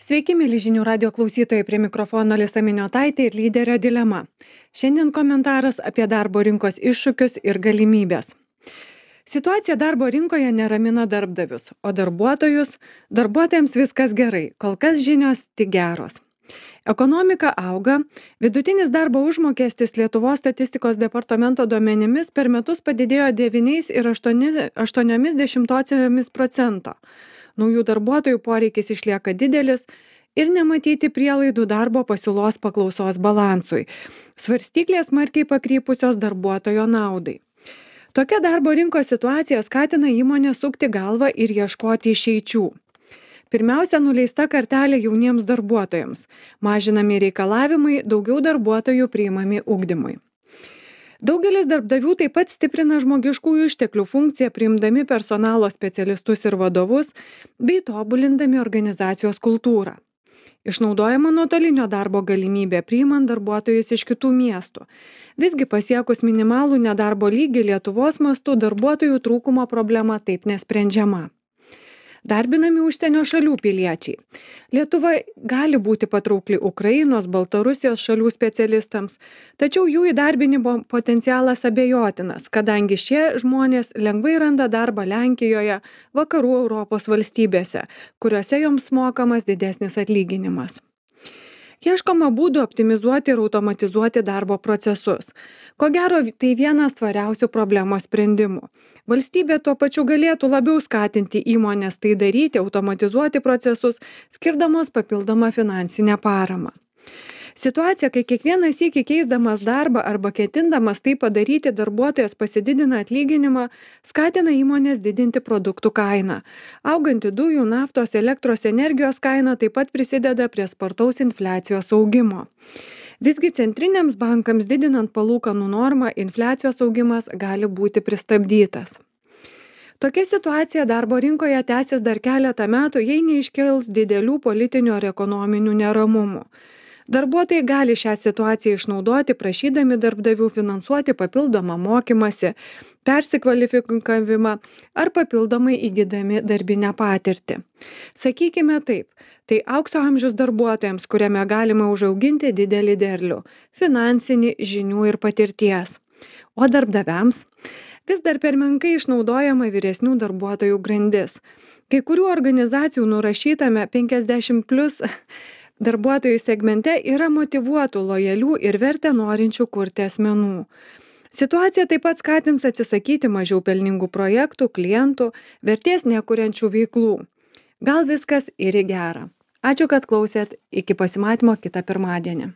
Sveiki, mėly žinių radio klausytojai, prie mikrofono Lisa Miniotaitė ir lyderio dilema. Šiandien komentaras apie darbo rinkos iššūkius ir galimybės. Situacija darbo rinkoje neramina darbdavius, o darbuotojams viskas gerai, kol kas žinios tik geros. Ekonomika auga, vidutinis darbo užmokestis Lietuvos statistikos departamento duomenimis per metus padidėjo 9,8%. Naujų darbuotojų poreikis išlieka didelis ir nematyti prielaidų darbo pasiūlos paklausos balansui. Svarstyklės smarkiai pakrypusios darbuotojo naudai. Tokia darbo rinkos situacija skatina įmonę sukti galvą ir ieškoti išeičių. Pirmiausia, nuleista kartelė jauniems darbuotojams. Mažinami reikalavimai, daugiau darbuotojų priimami ugdymui. Daugelis darbdavių taip pat stiprina žmogiškųjų išteklių funkciją, priimdami personalo specialistus ir vadovus, bei tobulindami organizacijos kultūrą. Išnaudojama nuotolinio darbo galimybė, priimant darbuotojus iš kitų miestų. Visgi pasiekus minimalų nedarbo lygį Lietuvos mastu darbuotojų trūkumo problema taip nesprendžiama. Darbinami užsienio šalių piliečiai. Lietuva gali būti patraukli Ukrainos, Baltarusijos šalių specialistams, tačiau jų įdarbinimo potencialas abejotinas, kadangi šie žmonės lengvai randa darbą Lenkijoje, vakarų Europos valstybėse, kuriuose joms mokamas didesnis atlyginimas. Ieškoma būdų optimizuoti ir automatizuoti darbo procesus. Ko gero, tai vienas tvariausių problemos sprendimų. Valstybė tuo pačiu galėtų labiau skatinti įmones tai daryti, automatizuoti procesus, skirdamos papildomą finansinę paramą. Situacija, kai kiekvieną sykį keisdamas darbą arba ketindamas tai padaryti, darbuotojas pasididina atlyginimą, skatina įmonės didinti produktų kainą. Auganti dujų, naftos, elektros energijos kaina taip pat prisideda prie spartaus infliacijos augimo. Visgi centriniams bankams didinant palūkanų normą, infliacijos augimas gali būti pristabdytas. Tokia situacija darbo rinkoje tęsis dar keletą metų, jei neiškils didelių politinių ar ekonominių neramumų. Darbuotojai gali šią situaciją išnaudoti, prašydami darbdavių finansuoti papildomą mokymąsi, persikvalifikavimą ar papildomai įgydami darbinę patirtį. Sakykime taip, tai aukso amžius darbuotojams, kuriame galima užauginti didelį derlių, finansinį, žinių ir patirties. O darbdaviams vis dar per menkai išnaudojama vyresnių darbuotojų grandis. Kai kurių organizacijų nurašytame 50+ darbuotojų segmente yra motyvuotų, lojalių ir vertę norinčių kurti asmenų. Situacija taip pat skatins atsisakyti mažiau pelningų projektų, klientų, vertės nekuriančių veiklų. Gal viskas ir į gerą. Ačiū, kad klausėt. Iki pasimatymo kitą pirmadienį.